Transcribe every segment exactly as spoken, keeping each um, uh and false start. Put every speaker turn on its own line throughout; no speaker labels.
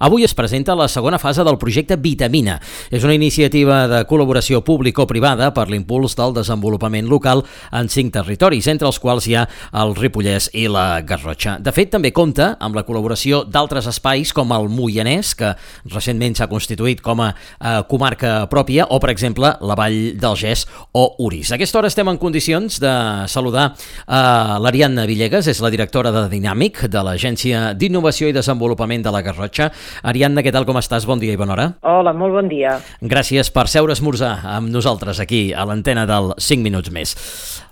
Avui es presenta la segona fase del projecte Vitamina. És una iniciativa de col·laboració público-privada per l'impuls del desenvolupament local en cinc territoris, entre els quals hi ha el Ripollès i la Garrotxa. De fet, també compta amb la col·laboració d'altres espais com el Moianès, que recentment s'ha constituït com a eh, comarca pròpia, o, per exemple, la Vall del Gès o Orís. A aquesta hora estem en condicions de saludar eh, l'Ariadna Villegas, és la directora de Dinàmic, de l'Agència d'Innovació i Desenvolupament de la Garrotxa. Ariadna, què tal, com estàs? Bon dia i bona hora.
Hola, molt bon dia.
Gràcies per seure a esmorzar amb nosaltres aquí a l'antena del cinc minuts més.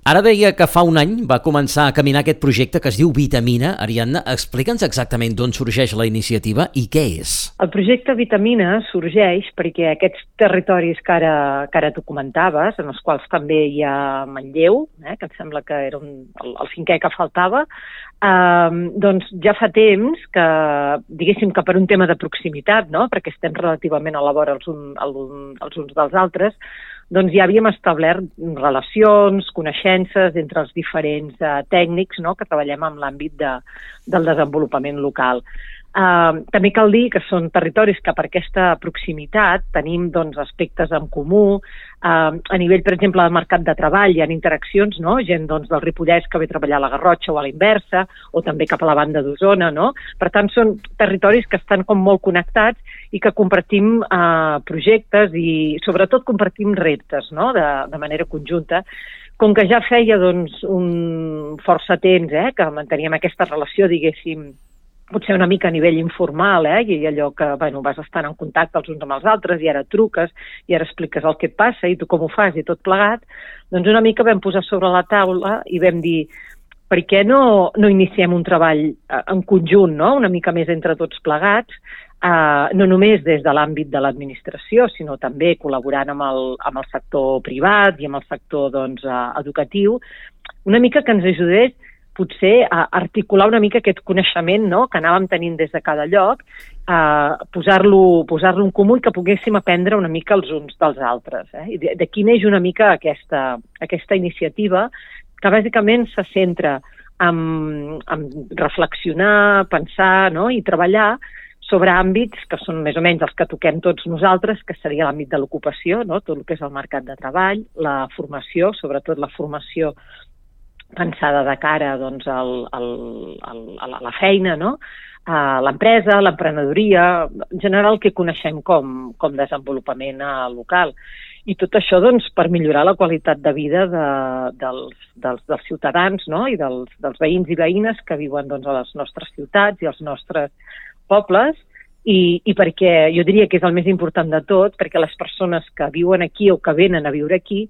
Ara deia que fa un any va començar a caminar aquest projecte que es diu Vitamina. Ariadna, explica'ns exactament d'on sorgeix la iniciativa i què és.
El projecte Vitamina sorgeix perquè aquests territoris que ara, que ara tu comentaves, en els quals també hi ha Manlleu, eh, que em sembla que era un, el, el cinquè que faltava, eh, doncs ja fa temps que, diguéssim que per un tema de proximitat, no? Perquè estem relativament a la vora els, un, els uns dels altres, doncs ja havíem establert relacions, coneixences entre els diferents uh, tècnics, no?, que treballem en l'àmbit de, del desenvolupament local. Uh, també cal dir que són territoris que per aquesta proximitat tenim doncs, aspectes en comú. Uh, a nivell, per exemple, del mercat de treball hi ha interaccions, no? Gent doncs, del Ripollès que ve a treballar a la Garrotxa o a la inversa, o també cap a la banda d'Osona, no? Per tant, són territoris que estan com molt connectats i que compartim uh, projectes i sobretot compartim reptes, no?, de, de manera conjunta. Com que ja feia doncs, un força temps eh, que manteníem aquesta relació, diguéssim, potser una mica a nivell informal, eh? I allò que bueno, vas estant en contacte els uns amb els altres i ara truques i ara expliques el que et passa i tu com ho fas i tot plegat, doncs una mica vam posar sobre la taula i vam dir per què no, no iniciem un treball en conjunt, no? Una mica més entre tots plegats, eh, no només des de l'àmbit de l'administració, sinó també col·laborant amb el, amb el sector privat i amb el sector doncs, eh, educatiu, una mica que ens ajudés potser a articular una mica aquest coneixement, no?, que anàvem tenint des de cada lloc, eh, posar-lo posar-lo en comú i que poguéssim aprendre una mica els uns dels altres. Eh? I d'aquí neix una mica aquesta, aquesta iniciativa que bàsicament se centra en, en reflexionar, pensar, no?, i treballar sobre àmbits que són més o menys els que toquem tots nosaltres, que seria l'àmbit de l'ocupació, no?, tot el que és el mercat de treball, la formació, sobretot la formació pensada de cara doncs, al, al, al, a la feina, no? A l'empresa, l'emprenedoria, en general el que coneixem com, com desenvolupament local. I tot això doncs, per millorar la qualitat de vida de, dels, dels, dels ciutadans, no? I dels, dels veïns i veïnes que viuen doncs, a les nostres ciutats i als nostres pobles, i, i perquè jo diria que és el més important de tot, perquè les persones que viuen aquí o que venen a viure aquí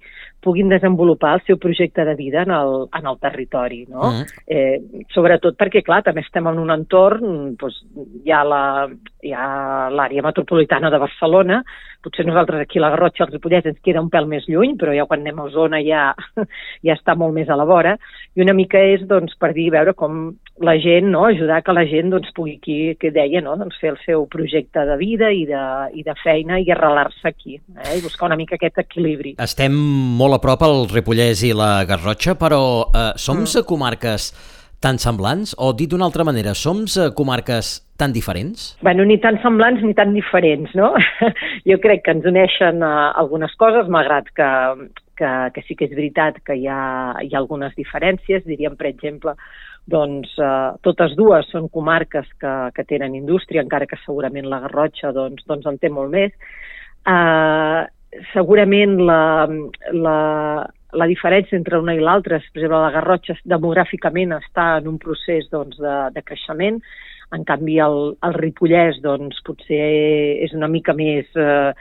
puguin desenvolupar el seu projecte de vida en el, en el territori, no? Mm. Eh, sobretot perquè, clar, també estem en un entorn, doncs, hi ha la, hi ha l'àrea metropolitana de Barcelona, potser nosaltres aquí a la Garrotxa, els Ripollès, ens queda un pèl més lluny, però ja quan anem a Osona ja, ja està molt més a la vora, i una mica és, doncs, per dir, veure com la gent, no?, ajudar que la gent, doncs, pugui, aquí, que deia, no?, doncs, fer el seu projecte de vida i de, i de feina i arrelar-se aquí, eh? I buscar una mica aquest equilibri.
Estem molt a prop al Ripollès i la Garrotxa, però eh, som mm. comarques tan semblants? O dit d'una altra manera, som comarques tan diferents?
Bueno, ni tan semblants ni tan diferents, no? Jo crec que ens uneixen uh, algunes coses, malgrat que, que, que sí que és veritat que hi ha, hi ha algunes diferències. Diríem, per exemple, doncs uh, totes dues són comarques que, que tenen indústria, encara que segurament la Garrotxa doncs, doncs en té molt més. Uh, segurament la... la La diferència entre una i l'altra, per exemple, la Garrotxa demogràficament està en un procés doncs, de, de creixement, en canvi el, el Ripollès doncs, potser és una mica més, eh,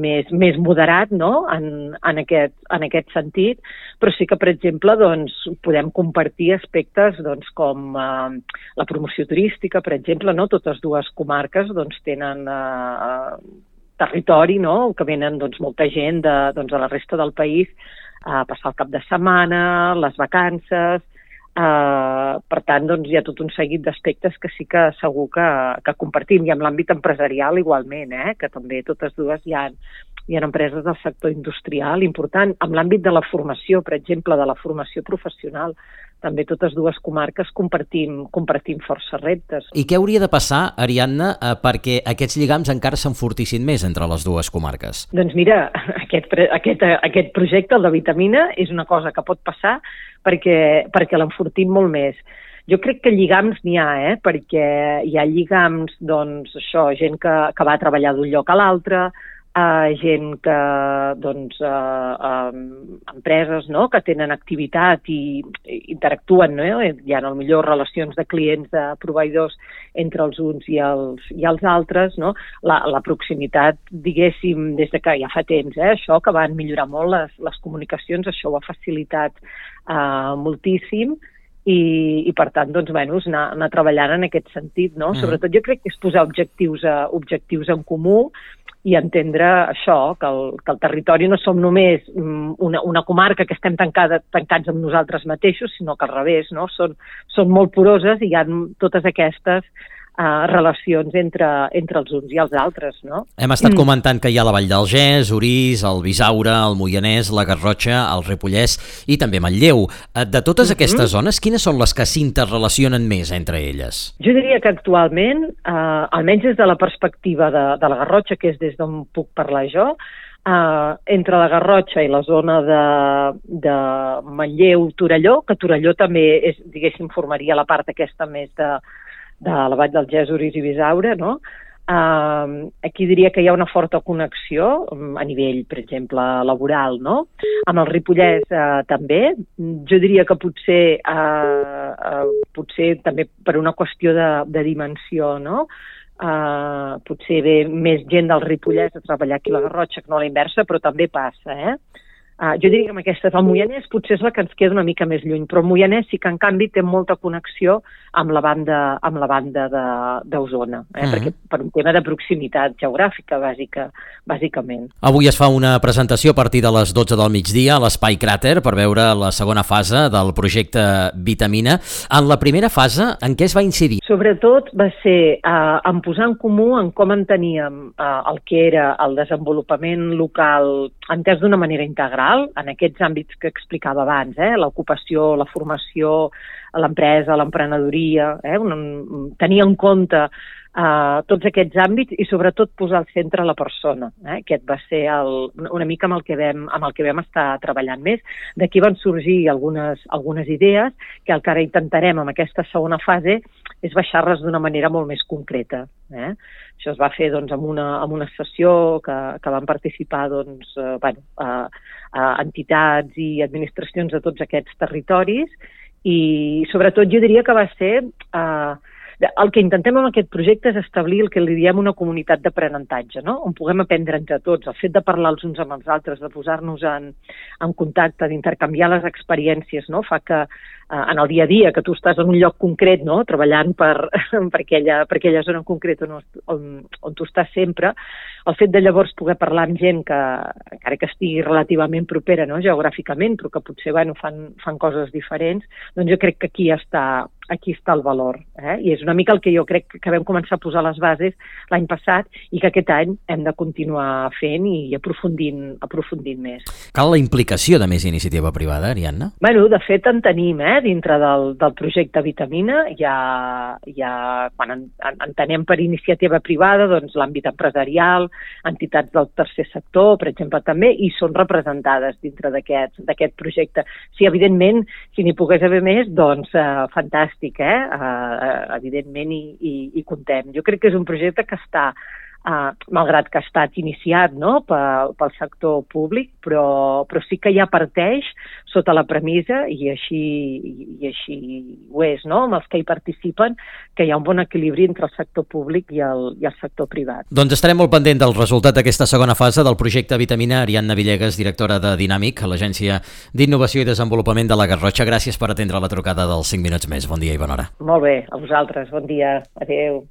més, més moderat, no?, en, en, aquest, en aquest sentit, però sí que, per exemple, doncs, podem compartir aspectes doncs, com eh, la promoció turística, per exemple, no? Totes dues comarques doncs, tenen eh, territori, no?, que venen doncs, molta gent de, doncs, de la resta del país a passar el cap de setmana, les vacances. Eh, per tant, doncs, hi ha tot un seguit d'aspectes que sí que segur que, que compartim, i amb l'àmbit empresarial igualment, eh, que també totes dues hi ha hi ha empreses del sector industrial important. En l'àmbit de la formació, per exemple, de la formació professional, també totes dues comarques compartim, compartim força reptes.
I què hauria de passar, Ariadna, perquè aquests lligams encara s'enfortissin més entre les dues comarques?
Doncs mira, aquest, aquest, aquest projecte, el de Vitamina, és una cosa que pot passar perquè, perquè l'enfortim molt més. Jo crec que lligams n'hi ha, eh? Perquè hi ha lligams, doncs, això, gent que, que va treballar d'un lloc a l'altre, Uh, gent que, doncs, uh, um, empreses, no?, que tenen activitat i, i interactuen, no? Hi ha millor relacions de clients, de proveïdors entre els uns i els, i els altres, no? La, la proximitat, diguéssim, des de que ja fa temps, eh? Això que van millorar molt les, les comunicacions, això ho ha facilitat uh, moltíssim. I, i per tant, doncs, bueno, anar, anar treballant en aquest sentit, no? Mm. Sobretot jo crec que és posar objectius, a, objectius en comú i entendre això, que el, que el territori no som només una, una comarca que estem tancada, tancats amb nosaltres mateixos, sinó que al revés, no? Són, són molt poroses i hi ha totes aquestes Uh, relacions entre, entre els uns i els altres, no?
Hem estat mm. comentant que hi ha la Vall d'Algès, Orís, el Bisaure, el Moianès, la Garrotxa, el Ripollès i també Manlleu. De totes mm-hmm. aquestes zones, quines són les que s'interrelacionen més entre elles?
Jo diria que actualment, uh, almenys des de la perspectiva de, de la Garrotxa, que és des d'on puc parlar jo, Uh, entre la Garrotxa i la zona de, de Manlleu-Torelló, que Torelló també és, diguéssim, formaria la part aquesta més de, de la Vall d'Algès, Orís i Bisaure, no? Uh, aquí diria que hi ha una forta connexió a nivell, per exemple, laboral, no? Amb el Ripollès uh, també. Jo diria que potser, uh, uh, potser també per una qüestió de, de dimensió, no? Uh, potser ve més gent del Ripollès a treballar aquí a la Garrotxa que no a la inversa, però també passa, eh? Uh, jo diria que amb aquestes, el Moianès potser és la que ens queda una mica més lluny, però el Moianès sí que en canvi té molta connexió amb la banda, amb la banda d'Osona, eh? Mm-hmm. Perquè per un tema de proximitat geogràfica, bàsica, bàsicament.
Avui es fa una presentació a partir de les dotze del migdia a l'Espai Cràter per veure la segona fase del projecte Vitamina. En la primera fase, en què es va incidir?
Sobretot va ser uh, en posar en comú en com enteníem uh, el que era el desenvolupament local entès d'una manera integral, en aquests àmbits que explicava abans, eh? L'ocupació, la formació, l'empresa, l'emprenedoria, eh? un, tenir en compte uh, tots aquests àmbits i sobretot posar al centre la persona. Eh? Aquest va ser el, una mica amb el, que vam, amb el que vam estar treballant més. D'aquí van sorgir algunes, algunes idees que el que ara intentarem amb aquesta segona fase és baixar-les d'una manera molt més concreta. Eh? Això es va fer doncs, amb, una, amb una sessió que, que van participar doncs, eh, bueno, eh, eh, entitats i administracions de tots aquests territoris i sobretot jo diria que va ser... Eh, el que intentem amb aquest projecte és establir el que li diem una comunitat d'aprenentatge, no? On puguem aprendre entre tots, el fet de parlar els uns amb els altres, de posar-nos en, en contacte, d'intercanviar les experiències, no? Fa que eh, en el dia a dia, que tu estàs en un lloc concret, no? Treballant per, per, aquella, per aquella zona en concret on, on, on tu estàs sempre, el fet de llavors poder parlar amb gent que, encara que estigui relativament propera, no? Geogràficament, però que potser bueno, fan, fan coses diferents, doncs jo crec que aquí està aquí està el valor. Eh? I és una mica el que jo crec que vam començar a posar les bases l'any passat i que aquest any hem de continuar fent i aprofundint, aprofundint més.
Cal la implicació de més iniciativa privada, Ariadna?
Bueno, de fet en tenim, eh? Dintre del, del projecte Vitamina, ja, ja, quan en, en, entenem per iniciativa privada doncs, l'àmbit empresarial, entitats del tercer sector, per exemple, també, i són representades dintre d'aquest projecte. Sí, evidentment, si n'hi pogués haver més, doncs eh, fantàstic. Eh? Uh, evidentment i, i, i contem. Jo crec que és un projecte que està, uh, malgrat que ha estat iniciat no? pel, pel sector públic, però, però sí que ja parteix sota la premissa, i així, i així ho és, no? Amb els que hi participen, que hi ha un bon equilibri entre el sector públic i el, i el sector privat.
Doncs estarem molt pendent del resultat d'aquesta segona fase del projecte Vitamina. Ariadna Villegas, directora de Dinàmic, l'Agència d'Innovació i Desenvolupament de la Garrotxa. Gràcies per atendre la trucada dels cinc minuts més. Bon dia i bona hora.
Molt bé, a vosaltres. Bon dia. Adéu.